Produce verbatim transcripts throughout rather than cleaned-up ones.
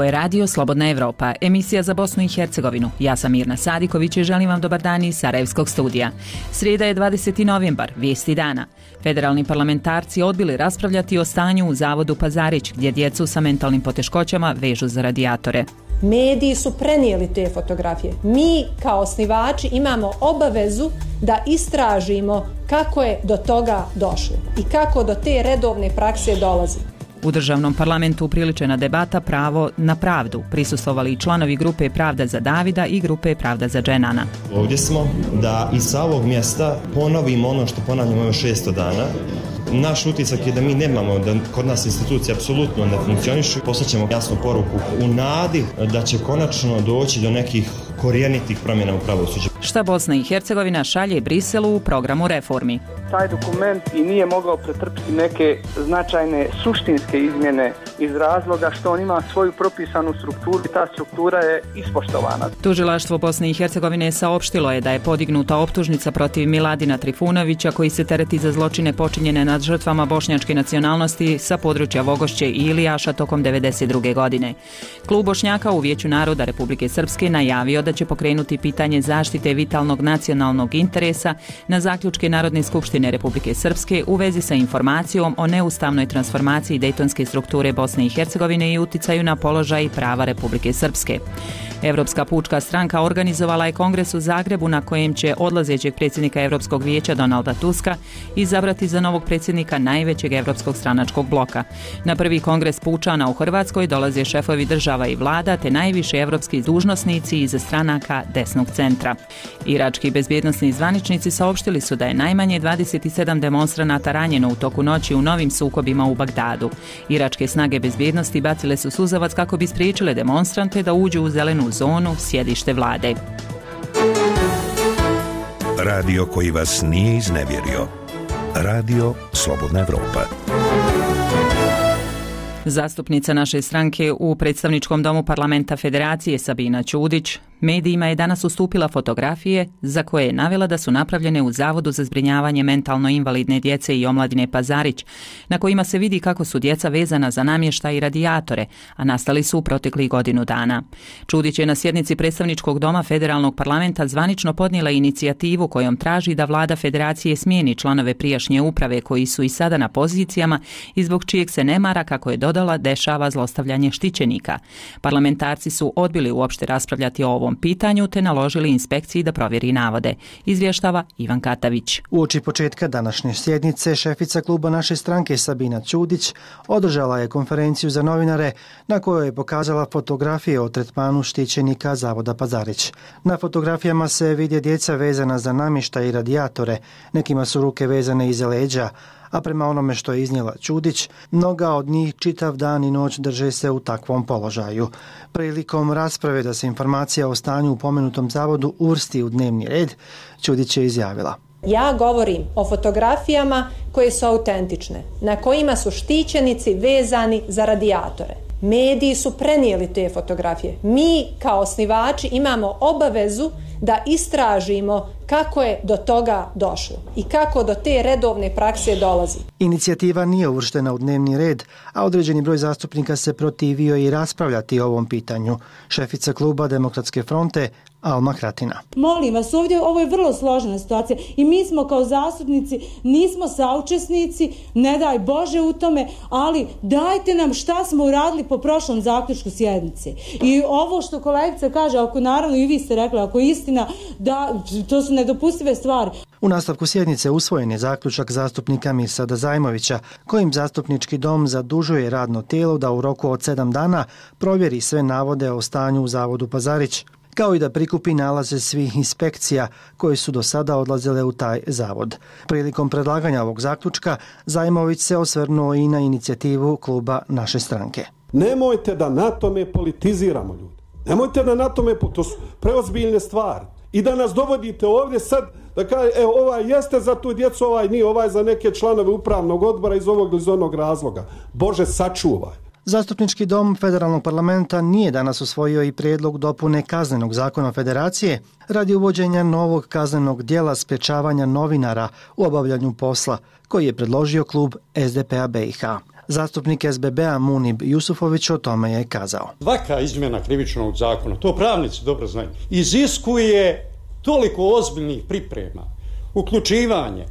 Ovo je Radio Slobodna Evropa, emisija za Bosnu i Hercegovinu. Ja sam Mirna Sadiković i želim vam dobar dan iz Sarajevskog studija. Srijeda je dvadeseti novembar, vijesti dana. Federalni parlamentarci odbili raspravljati o stanju u Zavodu Pazarić, gdje djecu sa mentalnim poteškoćama vežu za radijatore. Mediji su prenijeli te fotografije. Mi kao osnivači imamo obavezu da istražimo kako je do toga došlo i kako do te redovne prakse dolazi. U državnom parlamentu upriličena debata Pravo na pravdu. Prisustvovali i članovi grupe Pravda za Davida i grupe Pravda za Dženana. Ovdje smo da i sa ovog mjesta ponovimo ono što ponavljamo još šesto dana. Naš utisak je da mi nemamo, da kod nas institucije apsolutno ne funkcionišu. Poslaćemo jasnu poruku u nadi da će konačno doći do nekih korijenitih promjena u pravosuđu. Šta Bosna i Hercegovina šalje Briselu u programu reformi? Taj dokument i nije mogao pretrpiti neke značajne suštinske izmjene iz razloga što on ima svoju propisanu strukturu i ta struktura je ispoštovana. Tužilaštvo Bosne i Hercegovine saopštilo je da je podignuta optužnica protiv Miladina Trifunovića, koji se tereti za zločine počinjene nad žrtvama bošnjačke nacionalnosti sa područja Vogošće i Ilijaša tokom devedeset druge godine. Klub Bošnjaka u Vijeću naroda Republike Srpske najavio da će pokrenuti pitanje zaštite vitalnog nacionalnog interesa na zaključke Narodne skupštine Republike Srpske u vezi sa informacijom o neustavnoj transformaciji dejtonske strukture Bosne i Hercegovine i uticaju na položaj i prava Republike Srpske. Evropska pučka stranka organizovala je kongres u Zagrebu na kojem će odlazećeg predsjednika Europskog vijeća Donalda Tuska izabrati za novog predsjednika najvećeg evropskog stranačkog bloka. Na prvi kongres pučana u Hrvatskoj dolaze šefovi država i vlada te najviši evropski dužnosnici iz stranaka desnog centra. Irački bezbjednosni zvaničnici saopštili su da je najmanje dvadeset sedam demonstranata ranjeno u toku noći u novim sukobima u Bagdadu. Iračke snage bezbjednosti bacile su suzavac kako bi spriječile demonstrante da uđu u zelenu zonu, sjedište vlade. Radio koji vas nije iznevjerio. Radio Slobodna Evropa. Zastupnica naše stranke u predstavničkom domu parlamenta Federacije Sabina Ćudić medijima je danas ustupila fotografije za koje je navela da su napravljene u Zavodu za zbrinjavanje mentalno invalidne djece i omladine Pazarić, na kojima se vidi kako su djeca vezana za namještaj i radijatore, a nastali su u proteklih godinu dana. Ćudić je na sjednici predstavničkog doma federalnog parlamenta zvanično podnijela inicijativu kojom traži da vlada Federacije smijeni članove prijašnje uprave koji su i sada na pozicijama i zbog čijeg se nemara, kako je dodala, dešava zlostavljanje štićenika. Parlamentarci su odbili uopšte raspravljati o ovom pitanju te naložili inspekciji da provjeri navode. Izvještava Ivan Katavić. Uoči početka današnje sjednice šefica kluba naše stranke Sabina Ćudić održala je konferenciju za novinare na kojoj je pokazala fotografije o tretmanu štićenika Zavoda Pazarić. Na fotografijama se vide djeca vezana za namještaj i radijatore, nekima su ruke vezane iza leđa, a prema onome što je iznijela Ćudić, mnoga od njih čitav dan i noć drže se u takvom položaju. Prilikom rasprave da se informacija o stanju u pomenutom zavodu uvrsti u dnevni red, Ćudić je izjavila: Ja govorim o fotografijama koje su autentične, na kojima su štićenici vezani za radijatore. Mediji su prenijeli te fotografije. Mi kao osnivači imamo obavezu da istražimo kako je do toga došlo i kako do te redovne prakse dolazi. Inicijativa nije uvrštena u dnevni red, a određeni broj zastupnika se protivio i raspravljati o ovom pitanju. Šefica kluba Demokratske fronte Alma Kratina. Molim vas, ovdje ovo je vrlo složena situacija i mi smo kao zastupnici nismo saučesnici, ne daj Bože u tome, ali dajte nam šta smo uradili po prošlom zaključku sjednice. I ovo što kolegica kaže, ako naravno i vi ste rekli, ako je istina, da to su nedopustive stvari. U nastavku sjednice usvojen je zaključak zastupnika Mirsada Zajmovića, kojim zastupnički dom zadužuje radno tijelo da u roku od sedam dana provjeri sve navode o stanju u Zavodu Pazarić, kao i da prikupi nalaze svih inspekcija koje su do sada odlazile u taj zavod. Prilikom predlaganja ovog zaključka, Zajmović se osvrnuo i na inicijativu kluba naše stranke. Nemojte da na tome politiziramo, ljudi. Nemojte da na tome, to su preozbiljne stvari. I da nas dovodite ovdje sad da kaže, evo, ovaj jeste za tu djecu, ovaj nije, ovaj za neke članove upravnog odbora iz ovog ili iz onog razloga. Bože, sačuvaj. Zastupnički dom federalnog parlamenta nije danas usvojio i prijedlog dopune Kaznenog zakona Federacije radi uvođenja novog kaznenog djela sprječavanja novinara u obavljanju posla, koji je predložio klub S D P A B i H. Zastupnik S B B-a Munib Jusufović o tome je kazao. Svaka izmjena krivičnog zakona, to pravnici dobro znaju, iziskuje toliko ozbiljnih priprema, uključivanje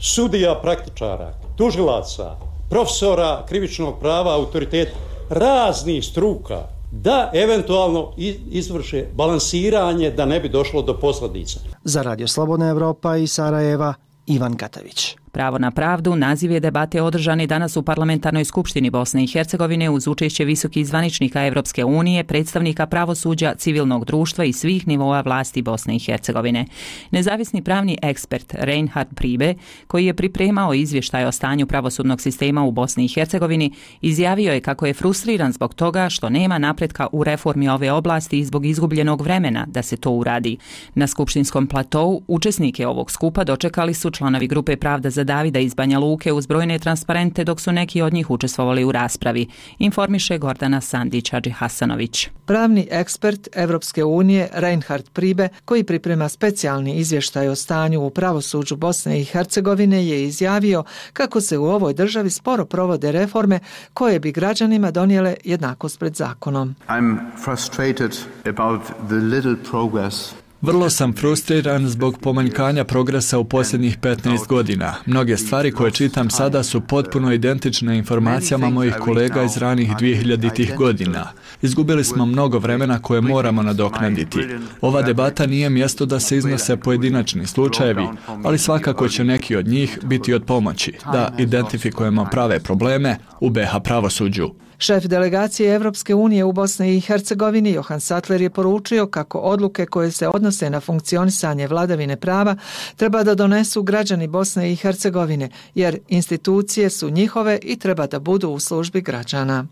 sudija praktičara, tužilaca, profesora krivičnog prava, autoriteta, raznih struka, da eventualno izvrše balansiranje da ne bi došlo do posljedica. Za Radio Slobodna Evropa iz Sarajeva, Ivan Katavić. Pravo na pravdu naziv je debate održani danas u Parlamentarnoj skupštini Bosne i Hercegovine uz učešće visokih zvaničnika Evropske unije, predstavnika pravosuđa, civilnog društva i svih nivoa vlasti Bosne i Hercegovine. Nezavisni pravni ekspert Reinhard Priebe, koji je pripremao izvještaj o stanju pravosudnog sistema u Bosni i Hercegovini, izjavio je kako je frustriran zbog toga što nema napretka u reformi ove oblasti i zbog izgubljenog vremena da se to uradi. Na skupštinskom platou učesnike ovog skupa dočekali su članovi grupe Pravda za Davida iz Banja Luke uz brojne transparente, dok su neki od njih učestvovali u raspravi, informiše Gordana Sandić-Hadžihasanović. Pravni ekspert Evropske unije Reinhard Priebe, koji priprema specijalni izvještaj o stanju u pravosuđu Bosne i Hercegovine, je izjavio kako se u ovoj državi sporo provode reforme koje bi građanima donijele jednakost pred zakonom. I'm frustrated about the little progress. Vrlo sam frustriran zbog pomanjkanja progresa u posljednjih petnaest godina. Mnoge stvari koje čitam sada su potpuno identične informacijama mojih kolega iz ranih dvehiljaditih godina. Izgubili smo mnogo vremena koje moramo nadoknaditi. Ova debata nije mjesto da se iznose pojedinačni slučajevi, ali svakako će neki od njih biti od pomoći da identifikujemo prave probleme u B H pravosuđu. Šef delegacije Evropske unije u Bosni i Hercegovini Johan Sattler je poručio kako odluke koje se odnose na funkcionisanje vladavine prava treba da donesu građani Bosne i Hercegovine, jer institucije su njihove i treba da budu u službi građana.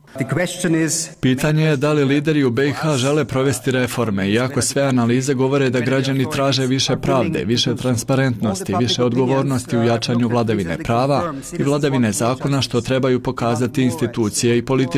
Pitanje je da li lideri u B i H žele provesti reforme, iako sve analize govore da građani traže više pravde, više transparentnosti, više odgovornosti u jačanju vladavine prava i vladavine zakona, što trebaju pokazati institucije i političari.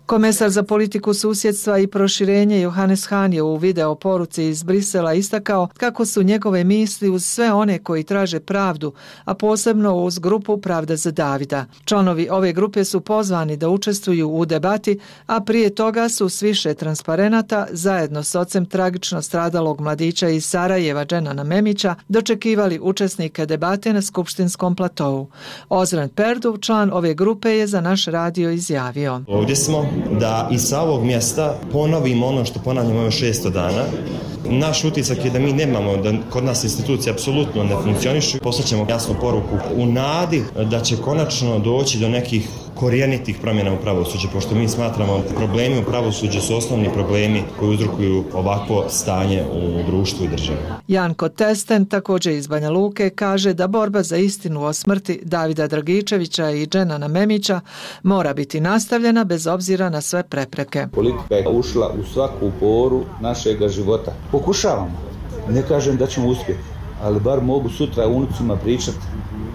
Komesar za politiku susjedstva i proširenje Johannes Hahn je u video poruci iz Brisela istakao kako su njegove misli uz sve one koji traže pravdu, a posebno uz grupu Pravda za Davida. Članovi ove grupe su pozvani da učestvuju u debati, a prije toga su s više transparenata zajedno s ocem tragično stradalog mladića iz Sarajeva Dženana Memića dočekivali učesnike debate na skupštinskom platovu. Ozren Perdu, član ove grupe, je za naš radio izjavio: Ovdje smo da i sa ovog mjesta ponovimo ono što ponavljamo ove šesto dana. Naš utisak je da mi nemamo, da kod nas institucije apsolutno ne funkcionišu. Poslaćemo jasnu poruku u nadi da će konačno doći do nekih korijenitih promjena u pravosuđu, pošto mi smatramo da problemi u pravosuđu su osnovni problemi koji uzrokuju ovakvo stanje u društvu i državi. Janko Testen, također iz Banja Luke, kaže da borba za istinu o smrti Davida Dragičevića i Dženana Memića mora biti nastavljena bez obzira na sve prepreke. Politika je ušla u svaku poru našega života. Pokušavamo. Ne kažem da ćemo uspjeti, ali bar mogu sutra unucima pričati: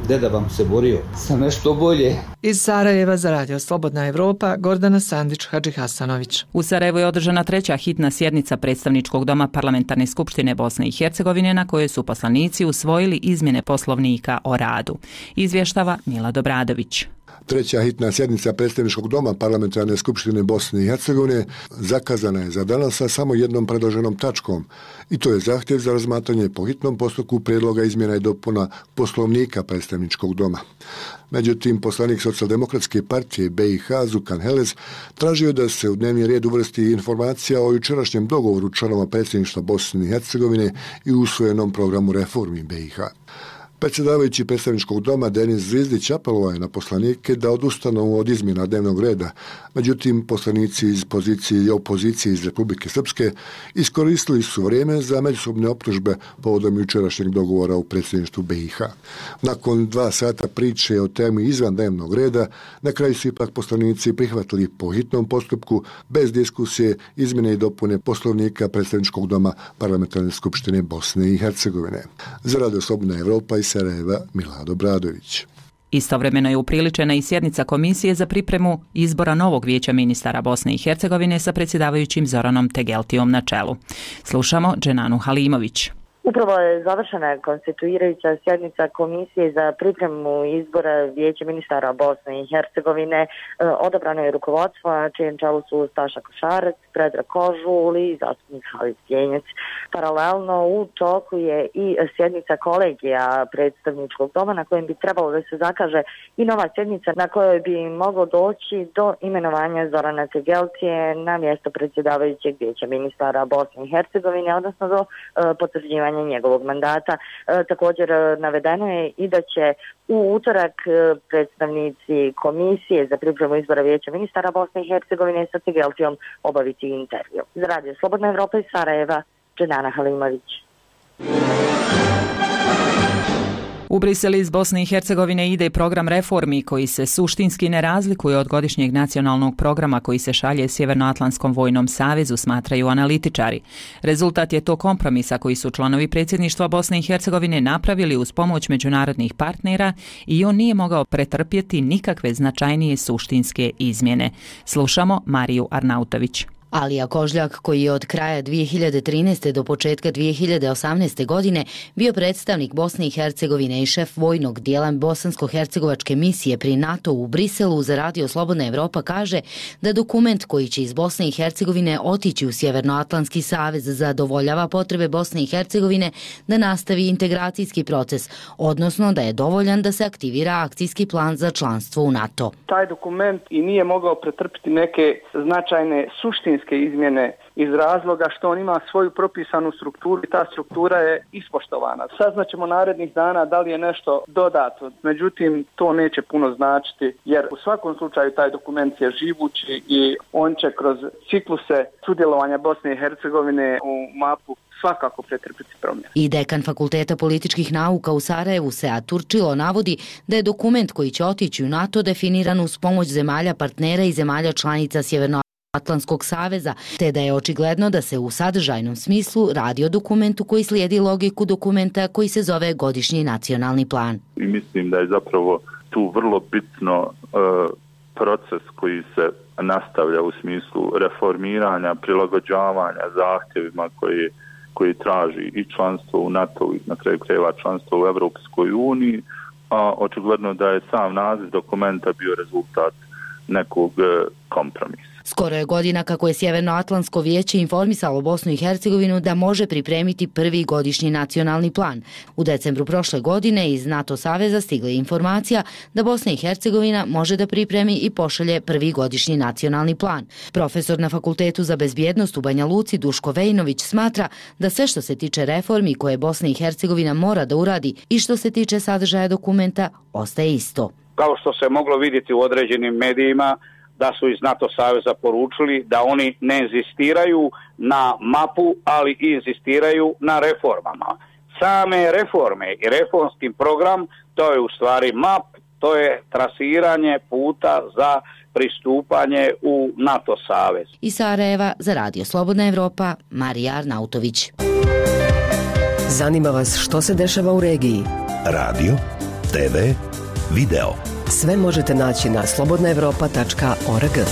deda vam se borio sa nešto bolje. Iz Sarajeva za Radio Slobodna Evropa, Gordana Sandić-Hadžihasanović. U Sarajevu je održana treća hitna sjednica Predstavničkog doma Parlamentarne skupštine Bosne i Hercegovine, na kojoj su poslanici usvojili izmjene Poslovnika o radu. Izvještava Milad Obradović. Treća hitna sjednica Predstavničkog doma Parlamentarne skupštine Bosne i Hercegovine zakazana je za danas sa samo jednom predloženom tačkom, i to je zahtjev za razmatranje po hitnom postupku prijedloga izmjena i dopuna Poslovnika Predstavničkog doma. Međutim, poslanik Socijaldemokratske partije B i H Zukan Helez tražio da se u dnevni red uvrsti informacija o jučerašnjem dogovoru članova predsjedništva Bosne i Hercegovine i usvojenom programu reformi B i H. Predsjedavajući Predstavničkog doma Denis Zvizdić apelovao je na poslanike da odustanu od izmjena dnevnog reda. Međutim, poslanici iz pozicije i opozicije iz Republike Srpske iskoristili su vrijeme za međusobne optužbe povodom jučerašnjeg dogovora u predsjedništvu B i H. Nakon dva sata priče o temi izvan dnevnog reda, na kraju su ipak poslanici prihvatili po hitnom postupku, bez diskusije, izmjene i dopune Poslovnika Predstavničkog doma Parlamentarne skupštine Bosne i Hercegovine. Za Radio Slobodna Evropa i Sarajeva, Milad Obradović. Istovremeno je upriličena i sjednica Komisije za pripremu izbora novog vijeća ministara Bosne i Hercegovine sa predsjedavajućim Zoranom Tegeltijom na čelu. Slušamo Dženanu Halimović. Upravo je završena konstituirajuća sjednica Komisije za pripremu izbora Vijeća ministara Bosne i Hercegovine. Odabrano je rukovodstvo na čijem čelu su Staša Košarac, Predrag Kožul i zastupnik Halid Stjenjec. Paralelno u toku je i sjednica kolegija predstavničkog doma na kojem bi trebalo da se zakaže i nova sjednica na kojoj bi moglo doći do imenovanja Zorana Tegelcije na mjesto predsjedavajućeg Vijeća ministara Bosne i Hercegovine, odnosno do e, potvrđivanja njegovog mandata. E, također navedeno je i da će u utorak predstavnici Komisije za pripremu izbora Vijeća ministara Bosne i Hercegovine sa Tegelcijom obaviti intervju. Za Radio Slobodna Evropa iz Sarajeva, Dženana Halimović. U Brisel iz Bosne i Hercegovine ide program reformi koji se suštinski ne razlikuje od godišnjeg nacionalnog programa koji se šalje Sjevernoatlantskom vojnom savezu, smatraju analitičari. Rezultat je to kompromisa koji su članovi predsjedništva Bosne i Hercegovine napravili uz pomoć međunarodnih partnera i on nije mogao pretrpjeti nikakve značajnije suštinske izmjene. Slušamo Mariju Arnautović. Alija Kožljak, koji je od kraja dvije hiljade trinaeste. do početka dvije hiljade osamnaeste. godine bio predstavnik Bosne i Hercegovine i šef vojnog dijela bosansko-hercegovačke misije pri NATO u Briselu, za Radio Slobodna Evropa kaže da dokument koji će iz Bosne i Hercegovine otići u Sjevernoatlantski savez zadovoljava potrebe Bosne i Hercegovine da nastavi integracijski proces, odnosno da je dovoljan da se aktivira akcijski plan za članstvo u NATO. Taj dokument i nije mogao pretrpiti neke značajne suštinske izmjene iz razloga što on ima svoju propisanu strukturu i ta struktura je ispoštovana. Saznaćemo narednih dana da li je nešto dodato, međutim to neće puno značiti jer u svakom slučaju taj dokument je živući i on će kroz cikluse sudjelovanja Bosne i Hercegovine u mapu svakako pretrpiti promjene. I dekan Fakulteta političkih nauka u Sarajevu, Sead Turčilo, navodi da je dokument koji će otići u NATO definiran uz pomoć zemalja partnera i zemalja članica Sjeverno Atlantskog saveza, te da je očigledno da se u sadržajnom smislu radi o dokumentu koji slijedi logiku dokumenta koji se zove Godišnji nacionalni plan. I mislim da je zapravo tu vrlo bitno e, proces koji se nastavlja u smislu reformiranja, prilagođavanja zahtjevima koji, koji traži i članstvo u NATO i na kraju krajeva članstvo u Europskoj uniji, a očigledno da je sam naziv dokumenta bio rezultat nekog e, kompromisa. Skoro je godina kako je Sjevernoatlantsko vijeće informisalo Bosnu i Hercegovinu da može pripremiti prvi godišnji nacionalni plan. U decembru prošle godine iz NATO saveza stigla je informacija da Bosna i Hercegovina može da pripremi i pošalje prvi godišnji nacionalni plan. Profesor na Fakultetu za bezbjednost u Banja Luci Duško Vejnović smatra da sve što se tiče reformi koje Bosna i Hercegovina mora da uradi i što se tiče sadržaja dokumenta ostaje isto. Kao što se moglo vidjeti u određenim medijima, da su iz NATO saveza poručili da oni ne inzistiraju na mapu, ali i inzistiraju na reformama. Same reforme i reformski program, to je u stvari map, to je trasiranje puta za pristupanje u NATO savez. Iz Sarajeva za Radio Slobodna Evropa, Marija Arnautović. Zanima vas što se dešava u regiji? Radio, te ve, video. Sve možete naći na slobodna evropa tačka org.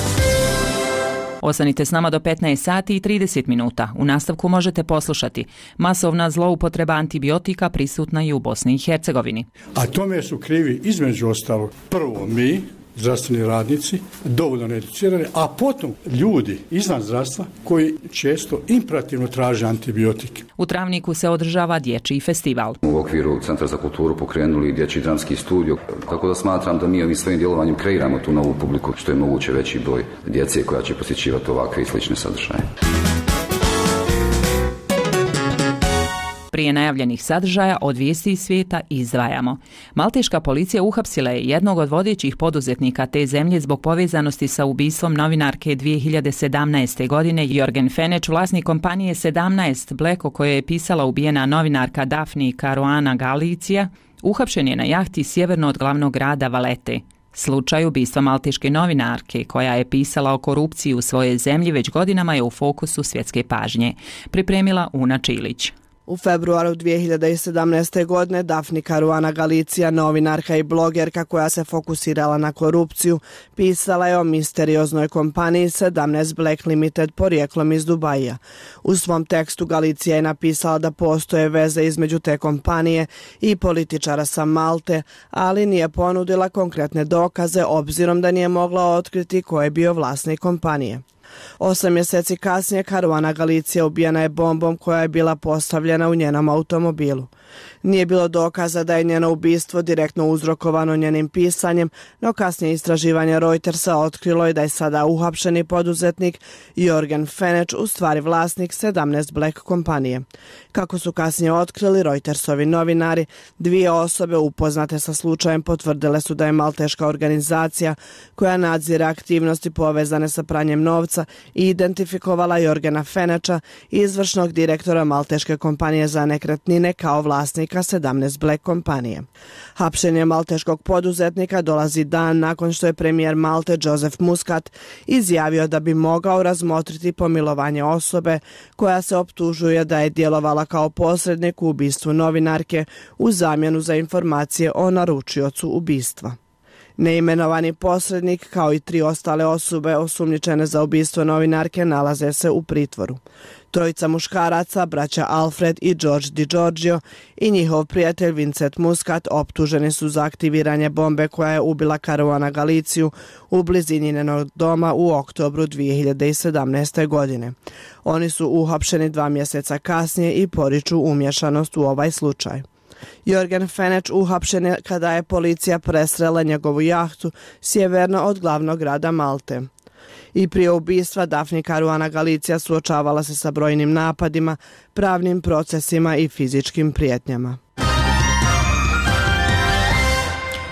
Ostanite s nama do petnaest sati i trideset minuta. U nastavku možete poslušati: masovna zloupotreba antibiotika prisutna i u Bosni i Hercegovini. A tome su krivi između ostalog prvo mi, zdravstveni radnici, dovoljno needucirani, a potom ljudi izvan zdravstva koji često imperativno traže antibiotike. U Travniku se održava dječji festival. U okviru Centra za kulturu pokrenuli dječji dramski studio, tako da smatram da mi ovim svojim djelovanjem kreiramo tu novu publiku, što je moguće veći broj djece koja će posjećivati ovakve i slične sadržaje. Prije najavljenih sadržaja od vijesti iz svijeta izdvajamo. Malteška policija uhapsila je jednog od vodećih poduzetnika te zemlje zbog povezanosti sa ubistvom novinarke dvije hiljade sedamnaeste. godine. Jorgen Fenech, vlasnik kompanije sedamnaest Black, o kojoj je pisala ubijena novinarka Daphne Caruana Galizia, uhapšen je na jahti sjeverno od glavnog grada Valete. Slučaj ubistva malteške novinarke koja je pisala o korupciji u svojoj zemlji već godinama je u fokusu svjetske pažnje. Pripremila Una Čilić. U februaru dvije hiljade sedamnaeste. godine Dafni Caruana Galizia, novinarka i blogerka koja se fokusirala na korupciju, pisala je o misterioznoj kompaniji sedamnaest Black Limited porijeklom iz Dubaija. U svom tekstu Galizia je napisala da postoje veze između te kompanije i političara sa Malte, ali nije ponudila konkretne dokaze obzirom da nije mogla otkriti ko je bio vlasnik kompanije. Osam mjeseci kasnije Caruana Galizia ubijena je bombom koja je bila postavljena u njenom automobilu. Nije bilo dokaza da je njeno ubistvo direktno uzrokovano njenim pisanjem, no kasnije istraživanje Reutersa otkrilo je da je sada uhapšeni poduzetnik Jorgen Fenech u stvari vlasnik sedamnaest Black kompanije. Kako su kasnije otkrili Reutersovi novinari, dvije osobe upoznate sa slučajem potvrdile su da je malteška organizacija koja nadzire aktivnosti povezane sa pranjem novca i identifikovala Jorgena Fenecha, izvršnog direktora malteške kompanije za nekretnine, kao vlasnika sedamnaest Black kompanije. Hapšenje malteškog poduzetnika dolazi dan nakon što je premijer Malte Joseph Muscat izjavio da bi mogao razmotriti pomilovanje osobe koja se optužuje da je djelovala kao posrednik u ubistvu novinarke u zamjenu za informacije o naručiocu ubistva. Neimenovani posrednik kao i tri ostale osobe osumnjičene za ubistvo novinarke nalaze se u pritvoru. Trojica muškaraca, braća Alfred i George Di Giorgio i njihov prijatelj Vincent Muscat optuženi su za aktiviranje bombe koja je ubila Caruana Galiziju u blizini njenog doma u oktobru dvije hiljade sedamnaeste. godine. Oni su uhapšeni dva mjeseca kasnije i poriču umješanost u ovaj slučaj. Jorgen Fenech uhapšen je kada je policija presrela njegovu jahtu sjeverno od glavnog grada Malte. I prije ubistva Dafni Caruana Galizia suočavala se sa brojnim napadima, pravnim procesima i fizičkim prijetnjama.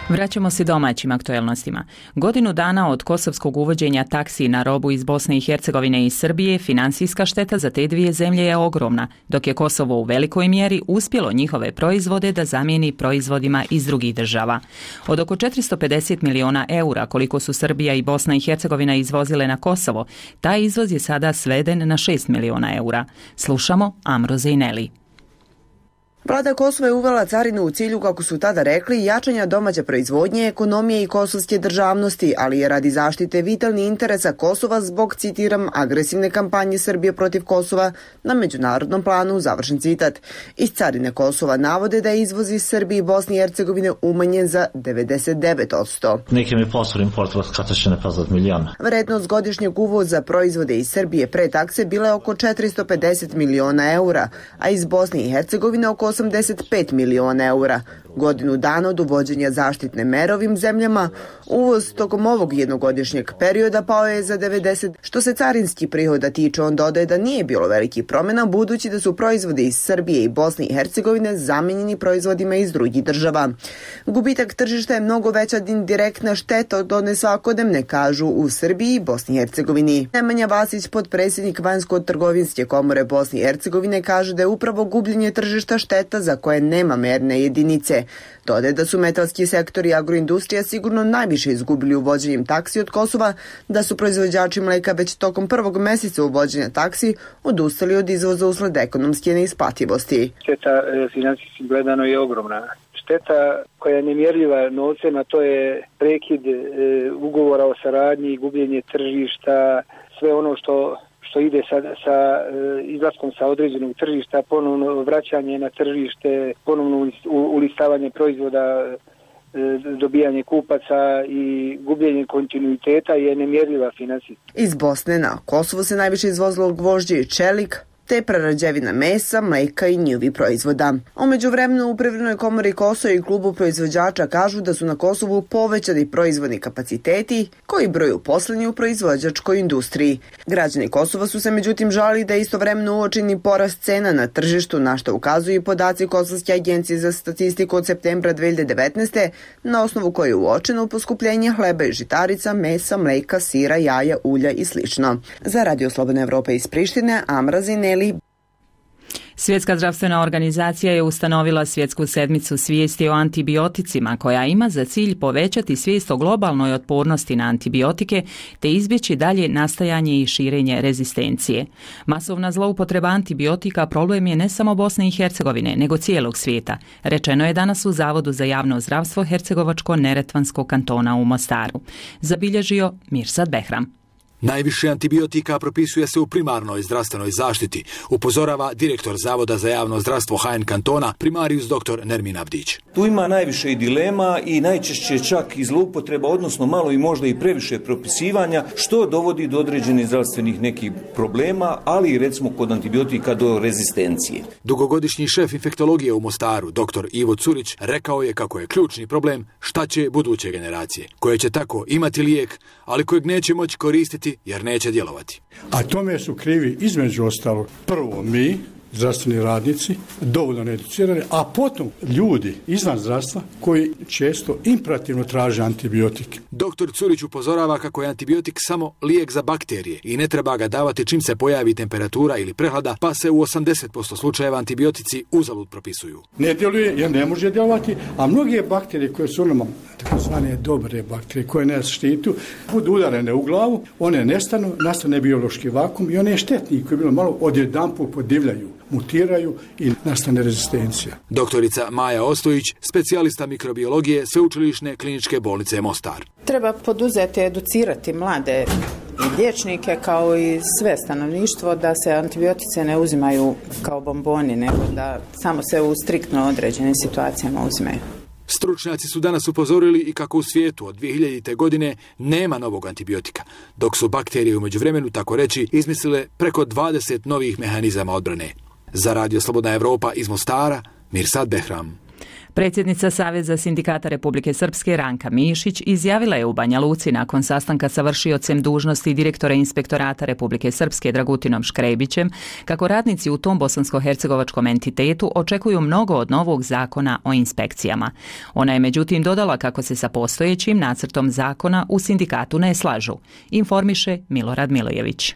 Vraćamo se domaćim aktuelnostima. Godinu dana od kosovskog uvođenja taksi na robu iz Bosne i Hercegovine i Srbije, financijska šteta za te dvije zemlje je ogromna, dok je Kosovo u velikoj mjeri uspjelo njihove proizvode da zamijeni proizvodima iz drugih država. Od oko četiristo pedeset miliona eura koliko su Srbija i Bosna i Hercegovina izvozile na Kosovo, taj izvoz je sada sveden na šest miliona eura. Slušamo Amro Zejneli. Vlada Kosova je uvela carinu u cilju, kako su tada rekli, jačanja domaće proizvodnje, ekonomije i kosovske državnosti, ali je radi zaštite vitalnih interesa Kosova zbog, citiram, agresivne kampanje Srbije protiv Kosova na međunarodnom planu, završen citat. Iz carine Kosova navode da je izvoz iz Srbije i Bosne i Hercegovine umanjen za devedeset devet posto. Vrednost godišnjeg uvoza proizvode iz Srbije pre takse bila je oko četiristo pedeset miliona eura, a iz Bosne i Hercegovine oko osamdeset pet miliona eura. Godinu dana od uvođenja zaštitne mere ovim zemljama, uvoz tokom ovog jednogodišnjeg perioda pao je za devedeset. Što se carinski prihoda tiče, on dodaje da nije bilo velikih promjena, budući da su proizvodi iz Srbije i Bosne i Hercegovine zamijenjeni proizvodima iz drugih država. Gubitak tržišta je mnogo veća indirektna šteta od one svakodnevne, kažu u Srbiji i Bosni i Hercegovini. Nemanja Vasić, potpredsjednik Vanjsko-trgovinske komore Bosne i Hercegovine, kaže da je upravo gubljenje tržišta šteta za koje nema merne jedinice. Dodaje da su metalski sektor i agroindustrija sigurno najviše izgubili uvođenjem taksi od Kosova, da su proizvođači mleka već tokom prvog mjeseca uvođenja taksi odustali od izvoza usled ekonomske neisplativosti. Šteta financijski gledano je ogromna. Šteta koja je nemjerljiva novcem, a to je prekid e, ugovora o saradnji, gubljenje tržišta, sve ono što što ide sa, sa izlaskom sa određenog tržišta, ponovno vraćanje na tržište, ponovno ulistavanje proizvoda, dobijanje kupaca i gubljenje kontinuiteta je nemjerljiva financijska. Iz Bosne na Kosovo se najviše izvozilo gvožđe i čelik, te prerađevina mesa, mleka i njihovi proizvoda. U međuvremenu u Privrednoj komori Kosova i klubu proizvođača kažu da su na Kosovu povećani proizvodni kapaciteti koji broju uposleni u proizvođačkoj industriji. Građani Kosova su se međutim žalili da je istovremeno uočeni porast cena na tržištu, na što ukazuju i podaci Kosovske agencije za statistiku od septembra dvije hiljade devetnaeste. na osnovu koje je uočeno poskupljenje hleba i žitarica, mesa, mleka, sira, jaja, ulja i slično. Za Radio Slobodna Evropa iz Prištine, Amra Zineli. Svjetska zdravstvena organizacija je ustanovila svjetsku sedmicu svijesti o antibioticima koja ima za cilj povećati svijest o globalnoj otpornosti na antibiotike te izbjeći dalje nastajanje i širenje rezistencije. Masovna zloupotreba antibiotika problem je ne samo Bosne i Hercegovine, nego cijelog svijeta, rečeno je danas u Zavodu za javno zdravstvo Hercegovačko-Neretvanskog kantona u Mostaru. Zabilježio Mirsad Behram. Najviše antibiotika propisuje se u primarnoj zdravstvenoj zaštiti, upozorava direktor Zavoda za javno zdravstvo H N kantona, primarijus dr. Nermin Avdić. Tu ima najviše i dilema i najčešće čak i zloupotreba, odnosno malo i možda i previše propisivanja, što dovodi do određenih zdravstvenih nekih problema, ali i recimo kod antibiotika do rezistencije. Dugogodišnji šef infektologije u Mostaru, dr. Ivo Curić, rekao je kako je ključni problem šta će buduće generacije, koje će tako imati lijek, ali kojeg neće moći koristiti jer neće djelovati. A tome su krivi između ostalog prvo mi, zdravstveni radnici, dovoljno needucirani, a potom ljudi izvan zdravstva koji često imperativno traže antibiotike. Doktor Curić upozorava kako je antibiotik samo lijek za bakterije i ne treba ga davati čim se pojavi temperatura ili prehlada, pa se u osamdeset posto slučajeva antibiotici uzalud propisuju. Ne djeluje jer ne može djelovati, a mnoge bakterije koje su normalne, takozvane dobre bakterije koje nas štitu, budu udarene u glavu, one nestanu, nastane biološki vakum i one štetni koji bilo malo odjedanput podivljaju, mutiraju i nastane rezistencija. Doktorica Maja Ostojić, specijalista mikrobiologije Sveučilišne kliničke bolnice Mostar. Treba poduzeti, educirati mlade i liječnike kao i sve stanovništvo da se antibiotice ne uzimaju kao bomboni, nego da samo se u striktno određenim situacijama uzimaju. Stručnjaci su danas upozorili i kako u svijetu od dvije hiljadite. godine nema novog antibiotika, dok su bakterije u međuvremenu, tako reći, izmislile preko dvadeset novih mehanizama odbrane. Za Radio Slobodna Evropa iz Mostara, Mirsad Behram. Predsjednica Saveza sindikata Republike Srpske Ranka Mišić izjavila je u Banja Luci nakon sastanka sa vršiocem dužnosti direktora Inspektorata Republike Srpske Dragutinom Škrebićem kako radnici u tom bosansko-hercegovačkom entitetu očekuju mnogo od novog zakona o inspekcijama. Ona je međutim dodala kako se sa postojećim nacrtom zakona u sindikatu ne slažu, informiše Milorad Milojević.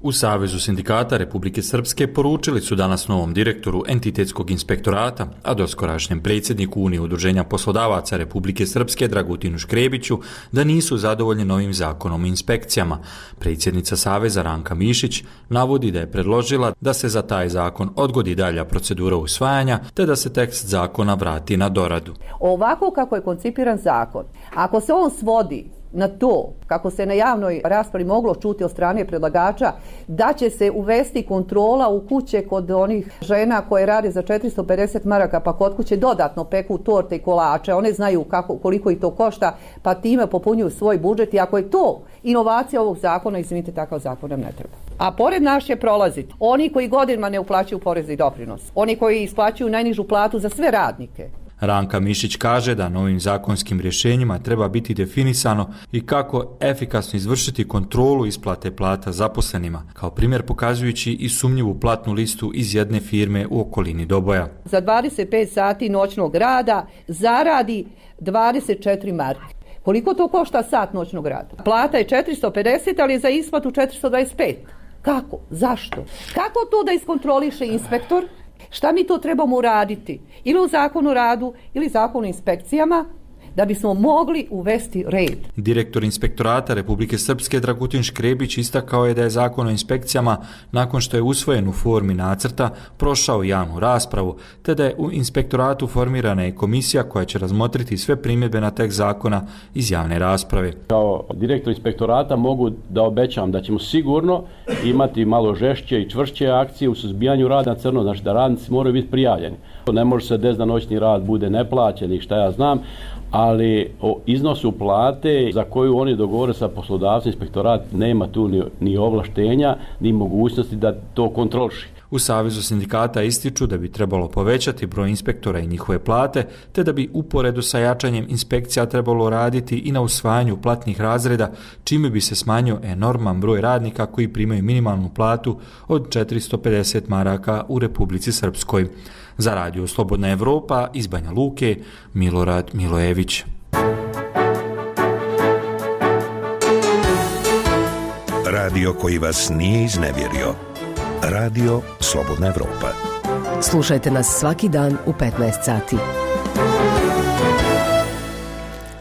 U Savezu sindikata Republike Srpske poručili su danas novom direktoru Entitetskog inspektorata, a doskorašnjem predsjedniku Unije udruženja poslodavaca Republike Srpske Dragutinu Škrebiću da nisu zadovoljni novim zakonom o inspekcijama. Predsjednica Saveza Ranka Mišić navodi da je predložila da se za taj zakon odgodi dalja procedura usvajanja te da se tekst zakona vrati na doradu. Ovako kako je koncipiran zakon, ako se on svodi na to, kako se na javnoj raspravi moglo čuti od strane predlagača, da će se uvesti kontrola u kuće kod onih žena koje rade za četiristo pedeset maraka, pa kod kuće dodatno peku torte i kolače, one znaju kako, koliko i to košta, pa time popunjuju svoj budžet i ako je to inovacija ovog zakona, izvinite, takav zakon nam ne treba. A pored nas će prolaziti oni koji godinama ne uplaćuju porez i doprinos, oni koji isplaćuju najnižu platu za sve radnike. Ranka Mišić kaže da novim zakonskim rješenjima treba biti definisano i kako efikasno izvršiti kontrolu isplate plata zaposlenima, kao primjer pokazujući i sumnjivu platnu listu iz jedne firme u okolini Doboja. Za dvadeset pet sati noćnog rada zaradi dvadeset četiri marke. Koliko to košta sat noćnog rada? Plata je četiristo pedeset, ali je za isplatu četiristo dvadeset pet. Kako? Zašto? Kako to da iskontroliše inspektor? Šta mi to trebamo uraditi? Ili u zakonu o radu, ili zakonu o inspekcijama, da bismo mogli uvesti red. Direktor Inspektorata Republike Srpske Dragutin Škrebić istakao je da je zakon o inspekcijama, nakon što je usvojen u formi nacrta, prošao javnu raspravu, te da je u inspektoratu formirana i komisija koja će razmotriti sve primjedbe na tekst zakona iz javne rasprave. Kao direktor inspektorata mogu da obećam da ćemo sigurno imati malo žešće i čvršće akcije u suzbijanju rada na crno, znači da radnici moraju biti prijavljeni. Ne može se desiti da noćni rad bude neplaćen i šta ja znam, ali o iznosu plate za koju oni dogovore sa poslodavcem, inspektorat nema tu ni, ni ovlaštenja, ni mogućnosti da to kontroliši. U Savezu sindikata ističu da bi trebalo povećati broj inspektora i njihove plate, te da bi uporedu sa jačanjem inspekcija trebalo raditi i na usvajanju platnih razreda, čime bi se smanjio enorman broj radnika koji primaju minimalnu platu od četiristo pedeset maraka u Republici Srpskoj. Za Radio Slobodna Evropa iz Banja Luke, Milorad Milojević. Radio koji vas nije iznevjerio. Radio Slobodna Evropa. Slušajte nas svaki dan u petnaest sati.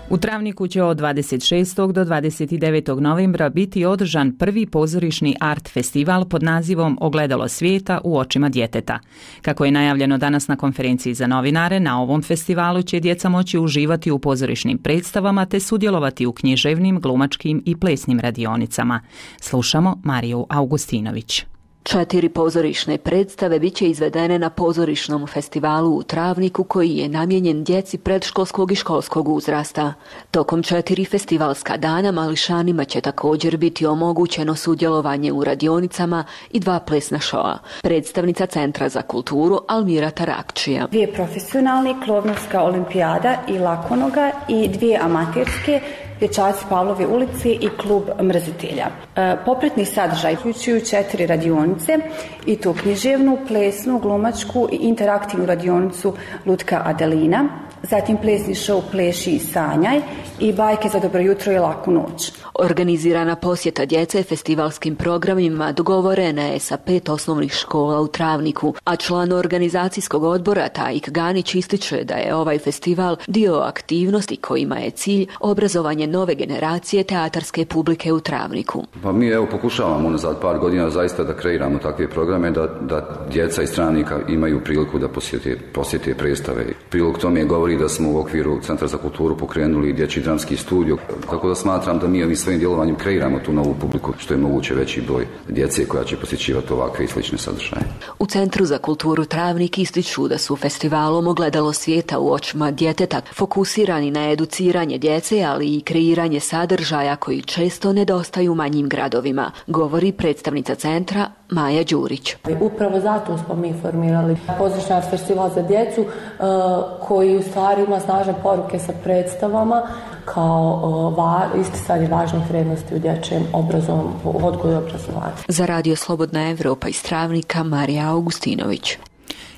U Travniku će od dvadeset šestog do dvadeset devetog novembra biti održan prvi pozorišni art festival pod nazivom Ogledalo svijeta u očima djeteta. Kako je najavljeno danas na konferenciji za novinare, na ovom festivalu će djeca moći uživati u pozorišnim predstavama te sudjelovati u književnim, glumačkim i plesnim radionicama. Slušamo Mariju Augustinović. Četiri pozorišne predstave bit će izvedene na pozorišnom festivalu u Travniku koji je namijenjen djeci predškolskog i školskog uzrasta. Tokom četiri festivalska dana mališanima će također biti omogućeno sudjelovanje u radionicama i dva plesna šoa. Predstavnica Centra za kulturu Almira Tarakčija. Dvije profesionalne, Klovnovska olimpijada i Lakonoga i dvije amaterske, Dječaci Pavlove ulici i klub mrzitelja. E, popretni sadržaj uključuju četiri radionice i to književnu, plesnu, glumačku i interaktivnu radionicu Lutka Adelina, zatim plesni šou Pleši i sanjaj i bajke za dobro jutro i laku noć. Organizirana posjeta djece festivalskim programima dogovorena je sa pet osnovnih škola u Travniku, a član organizacijskog odbora Tajik Ganić ističe da je ovaj festival dio aktivnosti kojima je cilj obrazovanje nove generacije teatarske publike u Travniku. Pa mi evo pokušavamo unazad par godina zaista da kreiramo takve programe, da, da djeca iz Travnika imaju priliku da posjete, posjete predstave. Prilog tome govori da smo u okviru Centra za kulturu pokrenuli dječji dramski studio, tako da smatram da mi ovim svojim djelovanjem kreiramo tu novu publiku, što je moguće veći broj djece koja će posjećivati ovakve i slične sadržaje. U Centru za kulturu Travnik ističu da su festivalom Ogledalo svijeta u očima djeteta fokusirani na educiranje djece, ali i kreiranje sadržaja koji često nedostaju manjim gradovima, govori predstavnica centra Maja Đurić. Upravo zato smo mi formirali pozorišni art festival za djecu koji u stvari ima snažne poruke sa predstavama kao va, isticanje važnih vrijednosti u dječjem obrazovanju, odgoju i obrazovanju. Za Radio Slobodna Evropa iz Travnika Marija Augustinović.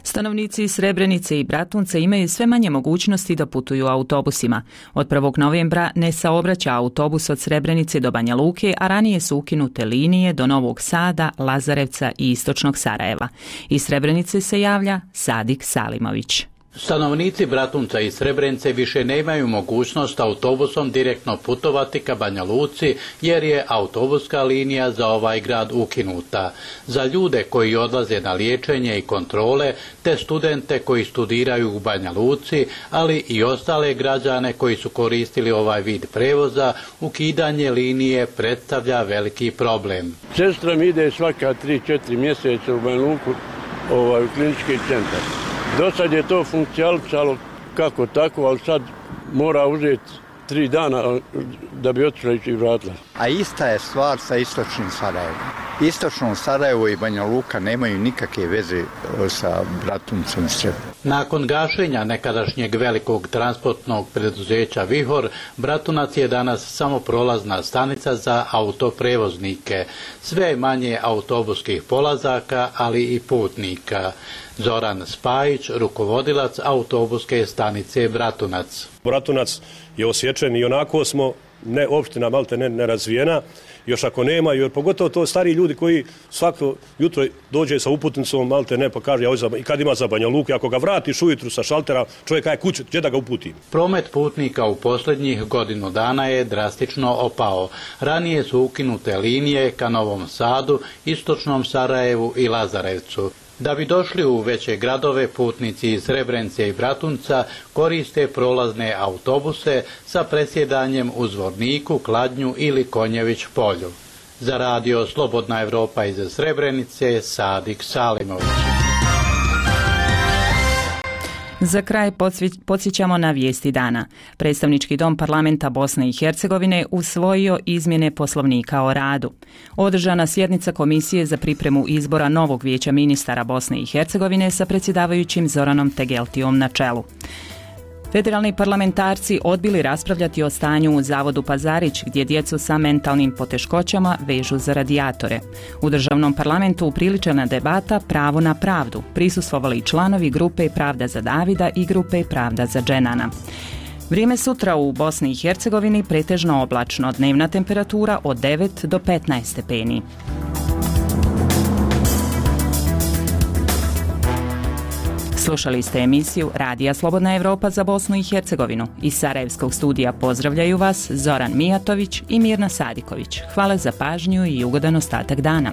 Stanovnici Srebrenice i Bratunca imaju sve manje mogućnosti da putuju autobusima. Od prvog novembra ne saobraća autobus od Srebrenice do Banja Luke, a ranije su ukinute linije do Novog Sada, Lazarevca i Istočnog Sarajeva. Iz Srebrenice se javlja Sadik Salimović. Stanovnici Bratunca i Srebrenice više nemaju mogućnost autobusom direktno putovati ka Banja Luci jer je autobuska linija za ovaj grad ukinuta. Za ljude koji odlaze na liječenje i kontrole, te studente koji studiraju u Banja Luci, ali i ostale građane koji su koristili ovaj vid prevoza, ukidanje linije predstavlja veliki problem. Sestra mi ide svaka tri četiri mjeseca u Banja Luku, ovaj, u klinički centar. Do sad je to funkcionalno kako tako, ali sad mora uzeti tri dana da bi otišla i vratila. A ista je stvar sa Istočnim Sarajevom. Istočno Sarajevo i Banja Luka nemaju nikakve veze sa Bratuncem Srebrenice. Nakon gašenja nekadašnjeg velikog transportnog preduzeća Vihor, Bratunac je danas samo prolazna stanica za autoprevoznike. Sve manje autobuskih polazaka, ali i putnika. Zoran Spajić, rukovodilac autobuske stanice Bratunac. Bratunac je osjećen i onako smo, ne, opština malte ne, nerazvijena, još ako nema, jer pogotovo to stari ljudi koji svako jutro dođe sa uputnicom, malte ne, pa kaže, ja i kad ima za Banja Luku, ako ga vratiš ujutru sa šaltera, čovjek je kuće, gdje da ga uputim? Promet putnika u posljednjih godinu dana je drastično opao. Ranije su ukinute linije ka Novom Sadu, Istočnom Sarajevu i Lazarevcu. Da bi došli u veće gradove, putnici iz Srebrenice i Bratunca koriste prolazne autobuse sa presjedanjem u Zvorniku, Kladnju ili Konjević polju. Za Radio Slobodna Evropa iz Srebrenice, Sadik Salimović. Za kraj podsjećamo na vijesti dana. Predstavnički dom parlamenta Bosne i Hercegovine usvojio izmjene poslovnika o radu. Održana sjednica Komisije za pripremu izbora novog vijeća ministara Bosne i Hercegovine sa predsjedavajućim Zoranom Tegeltijom na čelu. Federalni parlamentarci odbili raspravljati o stanju u Zavodu Pazarić, gdje djecu sa mentalnim poteškoćama vežu za radijatore. U državnom parlamentu upriličena debata Pravo na pravdu. Prisustvovali članovi grupe Pravda za Davida i grupe Pravda za Dženana. Vrijeme sutra u Bosni i Hercegovini pretežno oblačno, dnevna temperatura od devet do petnaest stepeni. Slušali ste emisiju Radija Slobodna Evropa za Bosnu i Hercegovinu. Iz Sarajevskog studija pozdravljaju vas Zoran Mijatović i Mirna Sadiković. Hvala za pažnju i ugodan ostatak dana.